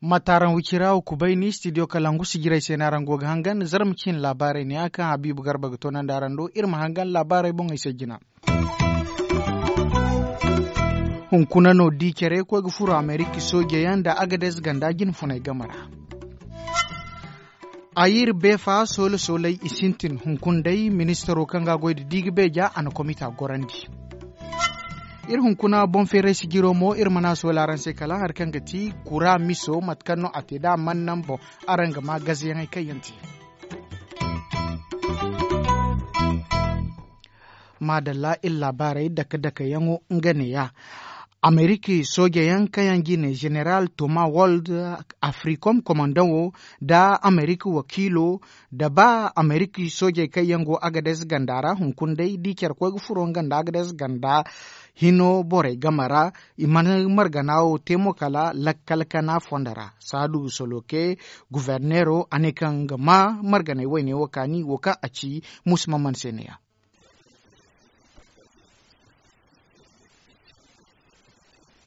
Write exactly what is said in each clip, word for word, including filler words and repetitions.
Mataaraŋ wicira wa kubay ni studio kalangu sijirey se no araŋ go ga hangan zarma ciine laabaarey ne ya kaŋ habiibu garba ga toonandi araŋ do iri ma hangan laabaarey boŋey se jina. Hunkuna no di care koy ga furo amerika sooje yaŋ nda agades ganda jine funay game ra. Ayir beefa soola soolay i sintin hunkuna day ministaro kaŋ ga a goy nda di ga beeja a na komita gorandi. Iri hunkuna boŋ feeray sijiro mo iri mana soola araŋ se kala hari kaŋ ga ti kura miso mate kaŋ no a te da a mana naŋ boŋ. Araŋ ga ma gazayaŋey kaŋ yaŋ te. Maadalla iri laabaarey dake dake yaŋo nga neeya. Amerika sooje yaŋ kaŋ yaŋ jine zeneral toma wold, africom komandaŋo, nda amerika wakiilo, nda ba amerika soojey kaŋ yaŋ go agades ganda ra hunkuna day da i care koy ga furo nga nda agades ganda hino borey game ra. I mana margana wo te mo kala lakkal kana fondo ra. Saadu soloke guverneero a ne kaŋ ga ma marganey wayne wo kaani wo kaŋ a ci musu mamman se neeya.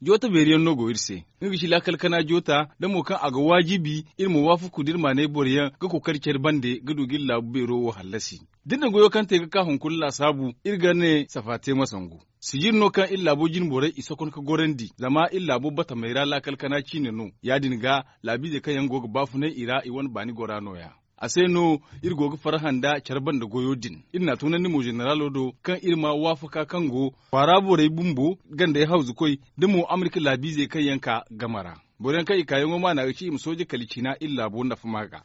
Joota beeri yaŋ no go iri se. Nga ga ci laakal kana joota da mo kaŋ a ga waajibi iri ma waafaku da iri maanay boro yaŋ ga kookari care bande ga du ga iri laabu beero wo hallasi. Da iri na goyo kaŋ te ga ka hunkuna laasaabu iri ga ne safa te ma sangu. Sijir no kaŋ iri laabo jine borey i sokon ga gorandi zama iri laabo batamey ra laakal kana ciine no. Ya- din ga laabiizey kaŋ yaŋ go ga baafunay i ra i wane baani gora nooya. A se no iri go ga farhã nda care banda goyo din. Iri n'a tunandi mo zeneralo do kaŋ iri ma waafaka kaŋ go kwaara borey bumbo gandey hawzukoy da mo amerika laabiizey kaŋ yaŋ ka game ra. Boro yaŋ kaŋ i kaayaŋo maana ga ci i ma sooje kala cina iri laabo nafa ma ga.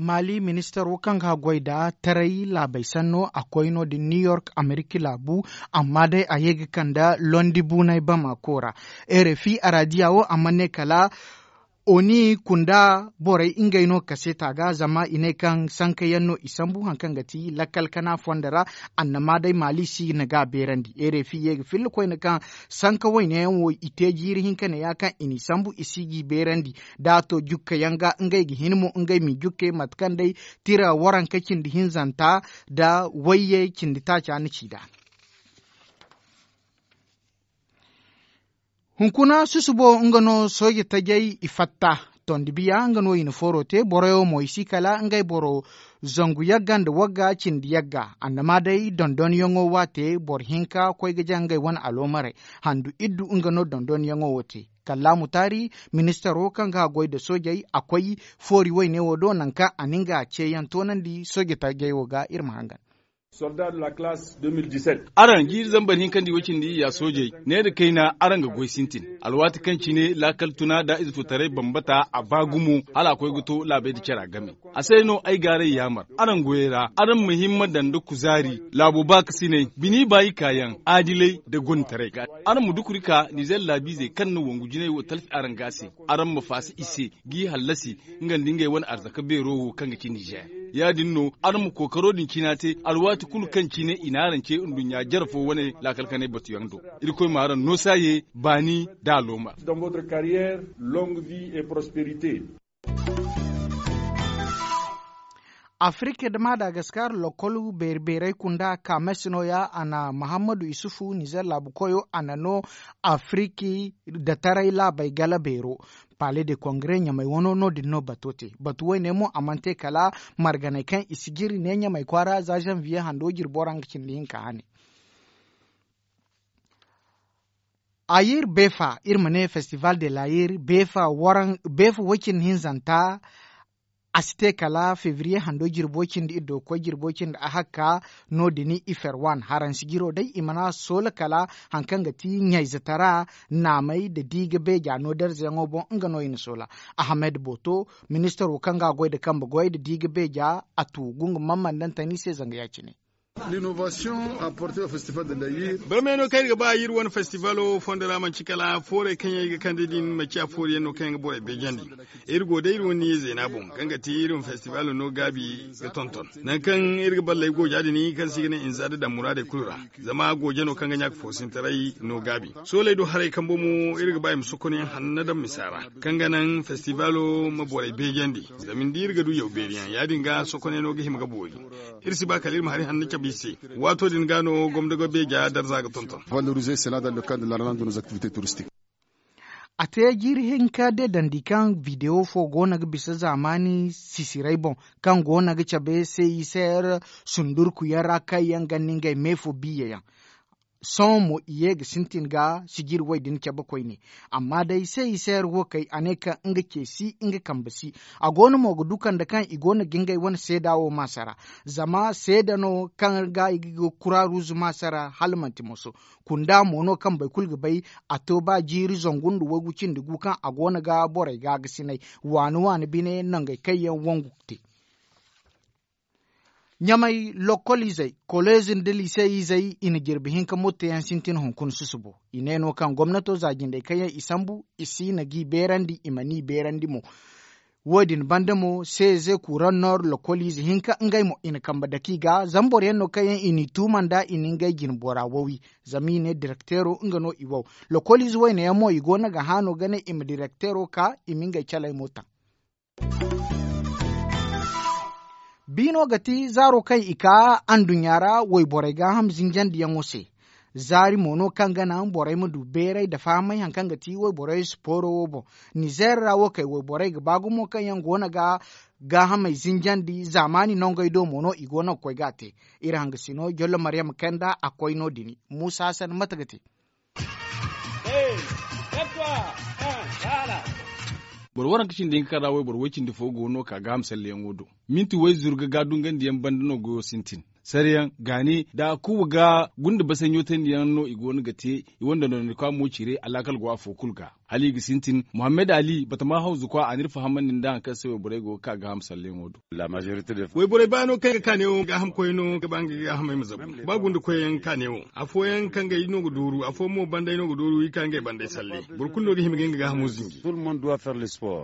Maali ministaro kaŋ ga goy nda taray laabey sanno a koy no-din new york amerika laabu. Amma day a ye ga kande londi buunay bamako ra. Rfi araadiya wo a mana ne kala oni kunda borey ngey no kaseeta ga zama i ne kaŋ sanka yaŋ no i sambu hari kaŋ ga ti lakkal kana fondo ra. Annama day maali si na ga beerandi rfi ye ga filla koyne kaŋ sanka wayne yaŋ wo i te jiiri hinka ne ya kaŋ i n'i sambu i si g'i beerandi. Da a to jukka yaŋ ga ngey ga hin mo ngey m'i jukke mate kaŋ day tira waranka cindi hinzanta nda wayye cindi taaca na ci nd'a. Hunkuna susubo nga no sooje tajey i fatta. Tondi biya nga no i na fooro te boroyo mo i si kala ngey boro zangu yagga nda wagga cindi yagga. Annama day dondonyaŋo waate boro hinka koy ga jaŋ ngey wane aloomarey. Handu iddu nga no dondonyaŋo wo te. Kallaamu taari ministaro kaŋ ga goy nda soojey a koy foori wayne wo do nangu kaŋ a na nga ceeyaŋ toonandi sooje tajey wo ga iri ma hangan. Araŋ jiiri zambar hinkandi wo cindi ya soojey ne nda kayna araŋ ga goy sintin. Alwaati kaŋ cine laakal tuna nda ize to taray bambata a ba gumo hala a koy ga to laabey nda cara game. A se no ay gaaray yaamar araŋ goyey ra araŋ ma himma daŋ nda kuzaari laabo baakasinay bini baayi kaayaŋ aadilay nda gonditaray ga. Araŋ ma dukuri ka nizer laabiizey kaŋ na wangu jinay wo talfi araŋ ga a se. Araŋ ma faasa i se g'i hallasi nga nda ngey wane arzaka beero wo kaŋ ga ci nizer. Ya- din no araŋ ma kookaro din cina te alwaati kulu kaŋ cine i na araŋ ce nduɲɲa jare fo wane laakal kanay batuyaŋ do. Irkoy ma araŋ noosa ye baani nda alooma. Afirka nda madagaskar lokol beeri beerey kunda kames nooya a na mahammadu isufu nizer laabu koyo a na no afirki nda taray laabey gala beero. Pale de kongre ɲamey wano no- din no bato te batu wayne mo a mana te kala marganey kaŋ i si jiri ne ɲamey kwaara za zanviye hando jirbo ra nga cindi hinka hane. Ayir beefa iri ma ne festival de layir beefa way cindi hinzanta. A si te kala febriye hando jirbo cindi iddo ga koy jirbo cindi a hakka. No- din ifer wan haransi jiro day i mana soola kala hari kaŋ ga ti ɲayze tara naamey nda di ga beeja no darzayaŋo boŋ nga no i na soola. Ahamed boto ministaro kaŋ ga a goy nda kambe goy nda di ga beeja a tu gunga mamman daŋ tani se zanga ya- cine. L'innovation apportée au festival de l'ayir. Barmey no kaŋ iri ga ba iri wane festival wo fondo ra manci kala foorey kaŋ yaŋ i ga kande din manci a fooriyaŋ no kaŋ yaŋ ga borey beejandi. Iri go day iri wane niya zeena boŋ kaŋ ga ti iri wane festival no gaabi ga tonton. Nangu kaŋ iri ga balley gooja din kaŋ se i ga ne inza da daŋ muraadey kulu ra. Zama gooja no kaŋ ga ɲaaka foosintaray no gaabi. Sooley do haray kambo mo iri ga ba i ma sokonayaŋ hanna daŋ misa ra kaŋ ga naŋ festival ma borey beejandi. Zama ni di iri ga du yaw beeri yaŋ ya- din ga sokonay no ga hima ga boori. Iri si ba kala iri ma hari hanno cabe i se. Waato din ga no gomdogo beeja darza ga tonton. Valoriser cela dans le cadre de la relance de nos activités touristiques. A te jiiri hinka de dandi kaŋ video fo go no ga bisa zaamaani sisiray boŋ kaŋ go no ga cabe se i se sundurku yaŋ ra kaŋ yaŋ ga ni ngey me fo biya yaŋ. Sohõ mo i ye ga sintin ga sijiri way din cabe koyne. Amma day se i se yar wo kay a ne kaŋ nga ce si nga kambe si. A go no mo ga du kande kaŋ i go no ga ngey wane seeda wo maasara. Zama seeda no kaŋ ga i ga kura ruuzu maasara hala manti moso. Kunda mo no kaŋ boro kulu ga bay. A to ba jiiri zangu nda waygu cindi gu kaŋ a go no ga borey ga ga sinay waani waani bine nangey kaŋ yaŋ wangu ga te. Ɲamay lokol izey koleez nda lise izey i na jirbi hinka mottayaŋ sintin hunkuna susubo. I ne no kaŋ gomnato za jindey kaŋ yaŋ i sambu i si na g'i beerandi i mana i beerandi mo. Wo- din banda mo seeze kuran noor lokol ize hinka ngey mo i na kambe dake i ga zama boro yaŋ no kaŋ yaŋ i n'i tuuma nd'a i na ngey jine bora wowi. Zama i ne direkteero nga no i wow. Lokol ize wayne yaŋ mo i go no ga haano ga ne i ma direkteero ka i ma ngey caley mo taŋ. Biino ga ti zaaro kaŋ i kaa anduɲɲa ra wayborey gaaham zinjandiyaŋo se. Zaari mo no kaŋ ga naŋ borey ma du beeray nda fahamay hari kaŋ ga ti wayborey sipooro wo boŋ. Nizeer ra wo kay wayborey ga ba gumo kaŋ yaŋ go no ga gaahamey zinjandi zaamaani nongey do mo no i go no ga koy ga a te. Iri hangasino jollo maryam kay nda a koy no- din. Muusa hasan mate ga te. Boro waranka cindi hinka kaŋ ra wayboro way cindi fo go no ka gaaham salleyaŋo do. Minti wayzuru ga ga dungandiyaŋ banda no goyo sintin. Sarayaŋ gaani nda a kuuba ga gunda basaɲo tandiyaŋ no i go no ga te. I wane dondonandikwa mo cire alaakal go afo kulu ga hala i ga sintin muhammad ali batama hawzukwa a n'iri fahamandi nda hari kaŋ se wayborey go ga ka gaaham salleyaŋo do. Wayborey baano kaŋ ga ka neewo gaahamkoyey no ga ba ngey gaahamey ma zabu. Ba gunda koyyaŋ ka neewo afooyaŋ kaŋ ga i no ga dooru afooyaŋ mo banday no ga dooru i ka ngey banday salle. Boro kulu no ga hima ga nga gaahamo zinji.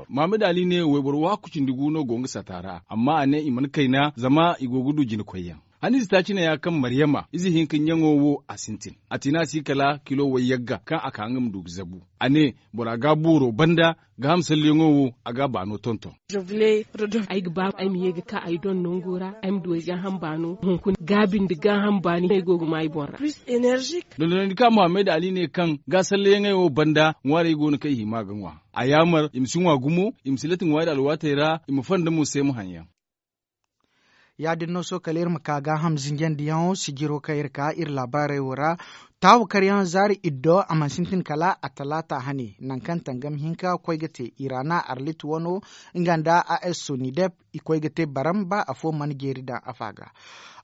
Muhammad ali ne wayboro waaku cindi gu no go nga sata ra amma a ne i mana kayna zama i go ga du jina koyyaŋ. Haniize taaci ne ya kaŋ maryama ize hinka ɲaŋo wo a sintin a tina si kala kilo wayyagga kaŋ a ka nga ma du ga zabu. A ne bora ga booro banda gaaham salleyaŋo wo a ga baano tonton. Ay ga ba ay ma ye ga ka ay doŋ nango ra ay ma du ay gaaham baano hunkuna gaabi nda gaaham baani ay go ga ma ay boŋ ra. Dondonandi ka muhammad ali ne kaŋ ga salleyaŋey wo banda ŋwaarey go no kaŋ i hima ga ŋwa. A yaamar i ma si ŋwa gumo i ma si lati ŋwaari alwaatey ra i ma fonda mo se ma haŋ yaŋ. Ya- din no sohõ kala iri ma ka gaaham zinjandiyaŋo sijiro kaŋ iri ka iri laabaarey wo ra. Taawa karyaŋ zaari iddo a mana sintin kala a talaata hane nangu kaŋ tangam hinka koy ga te iraana arlit wano nga nda a s sonidep i koy ga te baram ba afo mana jeeri daŋ afa ga.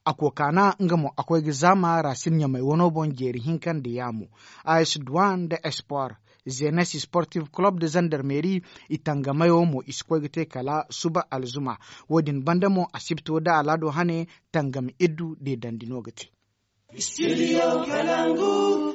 A kokaana nga mo a koy ga zaama raasin ɲamay wano boŋ jeeri hinka nda yaamo a s duwan nda espoir. Zenes sportif club de zandarmeri i tangamayo mo i si koy ga te kala suba alzuma. Wo- din banda mo asibto nda alaado hane tangam iddu deedandi no ga te.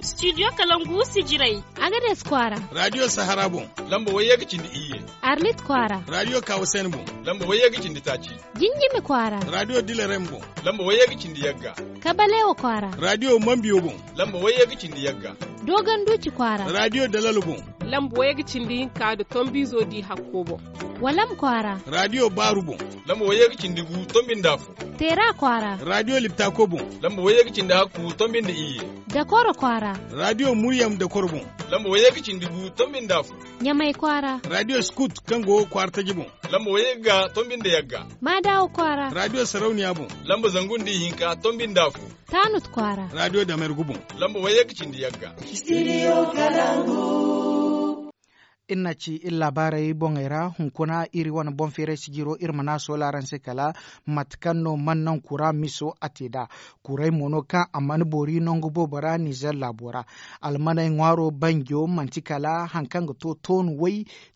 Studio kalangu sijirey agades kwaara. Radio sahara boŋ lamba wayye ga cindi iyye. Arlit kwaara radio kawasen boŋ lamba wayye ga cindi taaci. Jinjimi kwaara radio dilerem boŋ lamba wayye ga cindi yagga. Kabalewa kwaara radio mambiyo boŋ lamba wayye ga cindi yagga. Dogon duci kwaara radio dalalo boŋ lamba wayye ga cindi hinka nda tombizo di hakko boŋ. Walam kwaara radio baaru boŋ lamba wayye ga cindi gu tombi nda afo. Teera kwaara radio liptako boŋ lamba wayye ga cindi hakku tombi nda iyye. Dakoro kwaara radio muryam dakoro boŋ lamba wayye ga cindi gu tombi nda afo. Ɲamay kwaara radio skut kaŋ go kwaara taji boŋ lamba wayye ga tombi nda yagga. Maadawo kwaara radio sarauniya boŋ lamba zangu nda ihinka tombi nda afo. Taanut kwaara radio damergu boŋ lamba wayye ga cindi yagga. Iri na ci iri laabaarey boŋey ra hunkuna iri wane boŋ feeray sijiro iri mana a soola araŋ se kala mate kaŋ no mana naŋ kura miso a te nd'a. Kuray mo no kaŋ a mana boori nangu boobo ra nizer laabo ra. Almaney ŋwaaro banjo manti kala hari kaŋ ga to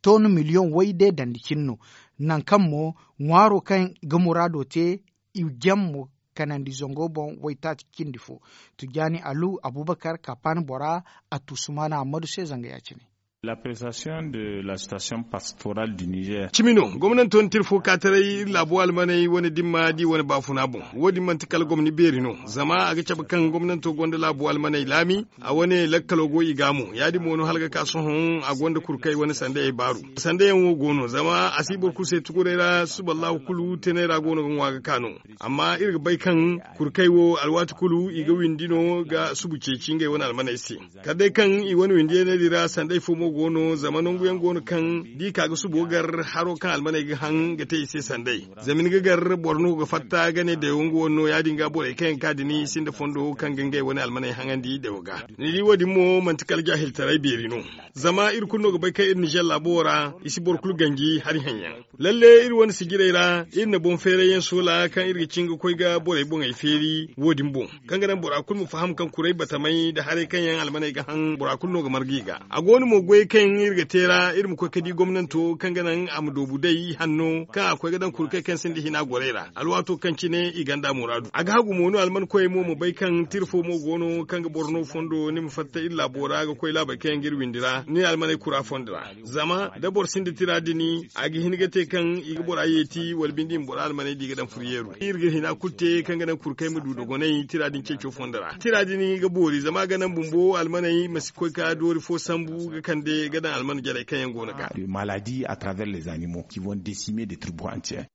toonu miliyoŋ way de dandi cine no. Nangu kaŋ mo ŋwaaro kaŋ ga muraado te i jam mo. kanandi zango boŋ waytaaci cindi fo. Tijjaani alu abubakar kapan bora a tu sumaana ammadu se zanga ya- cine. L'appréciation de la situation pastorale du niger. Cimi no gomnanto na tira fo ka taray iri laabo almaney wane dimma da i wane baafuna boŋ. Wo- din manti kala gomni beeri no, zama a ga cabe kaŋ gomnanto gonda laabo almaney laami. A wane lakkalo go i ga mo ya- din mo no hala ga ka sohõ a gonda kurkay wane sandayey baaru. Sandayaŋ wo go no zama a si boro kulu se tuguray ra suballahu kulu tenay ra go no ga ŋwa ga ka no. Amma iri ga bay kaŋ kurkay wo alwaati kulu i ga windi no ga subu ceeci ngey wane almaney se. Kala day kaŋ i wane windiyaney din ra sanday fo mo go no zama nangu yaŋ go no kaŋ da i ka ga subo gar haro kaŋ almaney ga haŋ ga te i se sanday. Zama ni ga gar boro no ga fatta ga ne dewo nga wane no ya- din ga borey kaŋ yaŋ ka din i sinda fondo kaŋ ga ngey wane almaney haŋandi dewo ga. Ni di wo- din mo manti kala jaahiltaray beeri no. Zama iri kulu no ga bay kaŋ iri nizer laabo wo ra i si boro kulu ganji hari haŋ yaŋ. Lalle iri wane sijirey ra iri na boŋ feeray yaŋ soola kaŋ iri ga cin ga koy ga borey boŋey feeri wo- din boŋ, kaŋ ga naŋ bora kulu ma faham kaŋ kuray batamay nda haray kaŋ yaŋ almaney ga haŋ bora kulu no ga marga i ga. A go no mo goyey kaŋ yaŋ iri ga te ra iri ma koy ga di gomnanto kaŋ ga naŋ a ma doobu day hanno kaŋ a koy ga daŋ kurkay kaŋ sinda hina gorey ra alwaato kaŋ cine i ganda muraadu a ga hagu mo no alman koyey mo ma bay kaŋ tira fo mo go no kaŋ ga boro no fondo ni ma fatta iri laabo ra ga koy laabey kaŋ yaŋ ga iri windi ra ni almaney kura fondo ra. Zama da boro sinda tira din a ga hin ga te kaŋ i ga bora yeeti wala binde i ma bora almaney da i ga daŋ furyeeru iri ga hina kulu te kaŋ ga naŋ kurkay ma du dogonay tira din ceeco fondo ra tira din ga boori zama a ga naŋ bumbo almaney ma si koy ka doori fo sambu ga kande ga daŋ alman jarey kaŋ yaŋ go no ga. Maladie à travers les animaux qui vont décimer des tribus entiers.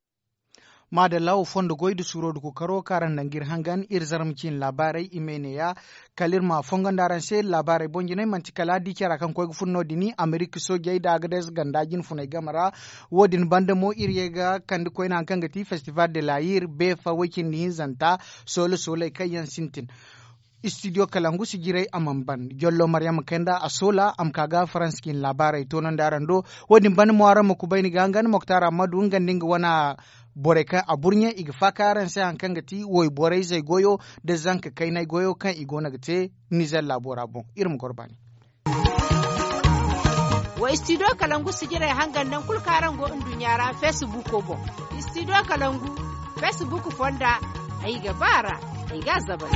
Maadalla wo fondo goy da suuro da kookaro kaŋ araŋ na nga iri hangan iri zarma ciine laabaarey i ma ay ne ya. Kala iri ma a fongandi araŋ se laabaarey boŋ jinay manti kala di cara kaŋ koy ga fun no- din amerika soojey da agades ganda jinfuney game ra. Wo- din banda mo iri ye ga kande koyne hari kaŋ ga ti festival de la yir beefa way- cindi hinzanta soola sooley kaŋ yaŋ sintin. Istidiyo kalangu sijirey a mana ban jollo maryama kay nda a soola a ma ka ga faransa ciine laabaarey toonandi araŋ do. Wo- din banda mo araŋ ma kubay ni ga nga ni moktar ammadu nga nda nga wane borey kaŋ a burɲe i ga faakay araŋ se hari kaŋ ga ti woyborey zey goyo nda zanka kaynay goyo kaŋ i go no ga te nizer laabo ra boŋ. Iri ma goro baani. Wa istidiyo kalangu sijirey hangan naŋ kulu kaŋ araŋ go nduɲɲa ra fesibuko boŋ. Istidiyo kalangu fesibuko fonda ay ga ba ra ay ga a zabal.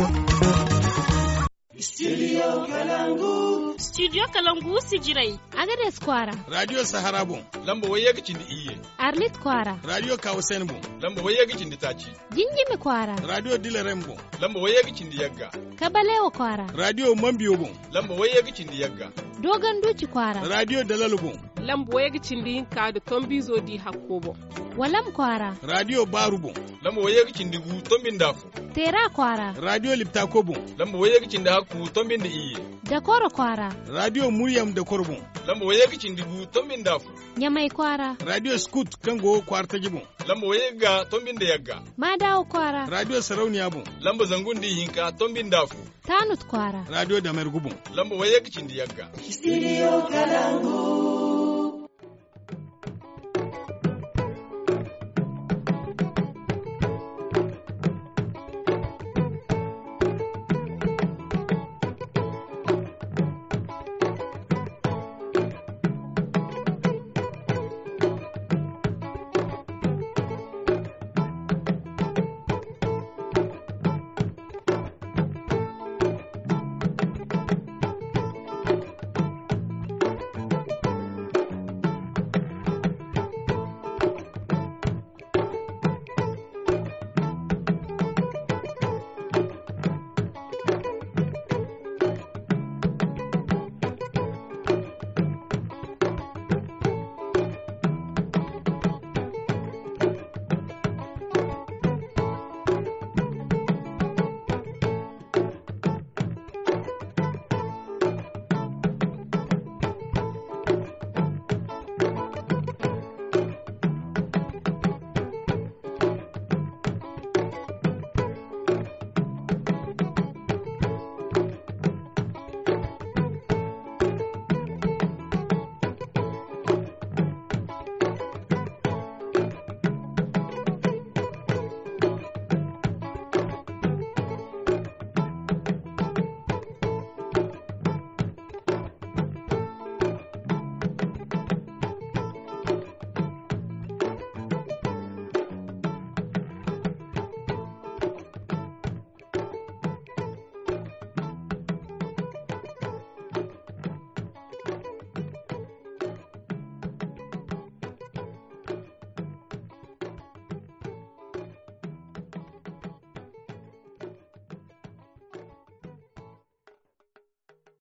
Studio kalangu sijirey. Agades kwaara. Radio sahara boŋ. Lamba wayye ga cindi iyye. Arlit kwaara. Radio kawasen boŋ. Lamba wayye ga cindi taaci. Jinjimi kwaara. Radio dilarem boŋ. Lamba wayye ga cindi yagga. Kabalewa kwaara. Radio mambiyo boŋ. Lamba wayye ga cindi yagga. Dogon duci kwaara. Radio dalalo boŋ. Lamba wayye ga cindi hinka nda tombizo di hakko boŋ. Walam kwaara. Radio baaru boŋ. Lamba wayye ga cindi gu tombi nda afo. Teera kwaara. Radio liptako boŋ. Lamba wayye ga cindi hakku tombi nda iyye. Dakoro kwaara. Radio muryam dakoro boŋ. Lamba wayye ga cindi gu tombi nda afo. Ɲamay kwaara. Radio skut kaŋ go kwaara taji boŋ. Lamba wayye ga tombi nda yagga. Maadawo kwaara. Radio sarauniya boŋ. Lamba zangu nda ihinka tombi nda afo. Tanut kwaara. Radio damergu boŋ. Lamba wayye ga cindi yagga. Studio kalangu.